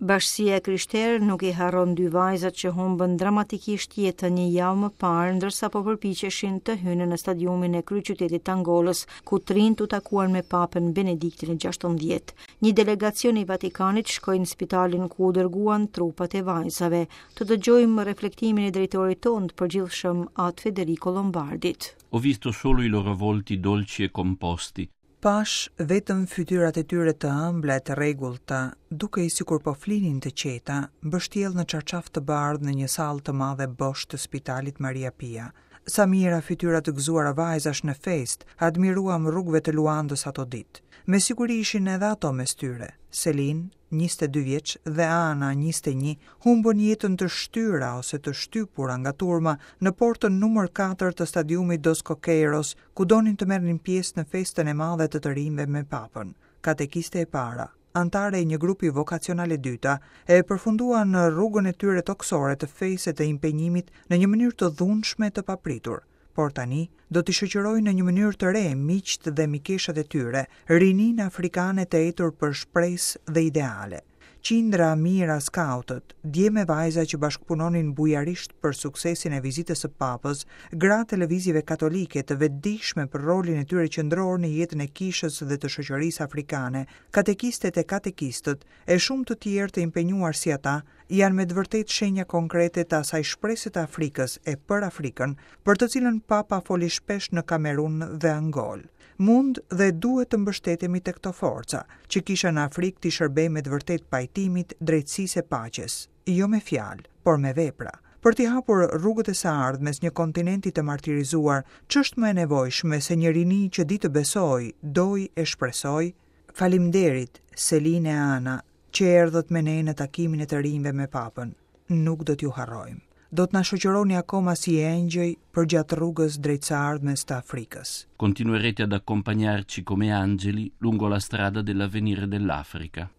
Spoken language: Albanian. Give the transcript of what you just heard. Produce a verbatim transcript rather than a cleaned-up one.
Bashkësia e krishterë nuk i harron dy vajzat që humbën dramatikisht jetën një javë më parë, ndërsa po përpiqeshin të hynin në stadiumin e kryeqytetit të Angolës, ku të rinjtë u takuan me Papën Benediktin e gjashtëmbëdhjetë. Një delegacion i Vatikanit shkoi në spitalin ku u dërguan trupat e vajzave. Të dëgjojmë reflektimin e drejtorit tonë të përgjithshëm, At Federico Lombardit. Ho visto solo i loro volti dolci e composti. Pashë vetëm fytyrat e tyre të ëmbla e të rregullta, dukej sikur po flinin të qeta, mbështjellë në çarçaf të bardhë në një sallë të madhe bosh të spitalit Maria Pia. Sa mijëra fytyra të gëzuara vajzash në festë, admiruam rrugëve të Luandës ato ditë. Me siguri ishin edhe ato mes tyre. Selin, njëzet e dy vjeç, dhe Ana, njëzet e një, humbën jetën të shtyra ose të shtypura nga turma në portën numër katër të stadiumit Dos Coqueiros, ku donin të merrnin pjesë në festën e madhe të të rinjve me Papën. Katekiste e para, anëtare e një grupi vokacional e dyta, e përfunduan në rrugën e tyre toksore të fesë e të impenjimit në një mënyrë të dhunshme, të papritur. Por tani do t'i shoqërojnë në një mënyrë të re miqtë dhe mikeshat e tyre, rininë afrikane të etur për shpresë dhe ideale. Qindra mijëra skautët, djem e vajza që bashkëpunonin bujarisht për suksesin e vizitës së Papës, gratë e lëvizjeve katolike të vetëdijshme për rolin e tyre qendror në jetën e kishës dhe të shoqërisë afrikane, katekistet e katekistët, e shumë të tjerë të impenjuar si ata, janë me të vërtetë shenja konkrete të asaj shprese të Afrikës e për Afrikën, për të cilën Papa foli shpesh në Kamerun dhe Angol. Mund dhe duhet të mbështetemi te këto forca, që kisha në Afrikë t'i shërbejë me të vërtetë pajtimit, drejtësisë e paqes, jo me fjalë, por me vepra. Për t'i hapur rrugët e së ardhmes një kontinenti të martirizuar, ç'është më e nevojshme se një rini që di të besojë, dojë e shpresojë? Faleminderit, Seline e Ana, që erdhët me ne në takimin e të rinjve me Papën. Nuk do t'ju harrojmë. Do të na shoqëroni akoma si engjëj përgjatë rrugës drejt së ardhmes të Afrikës. Continuerete ad accompagnarci come angeli lungo la strada dell'avvenire dell'Africa.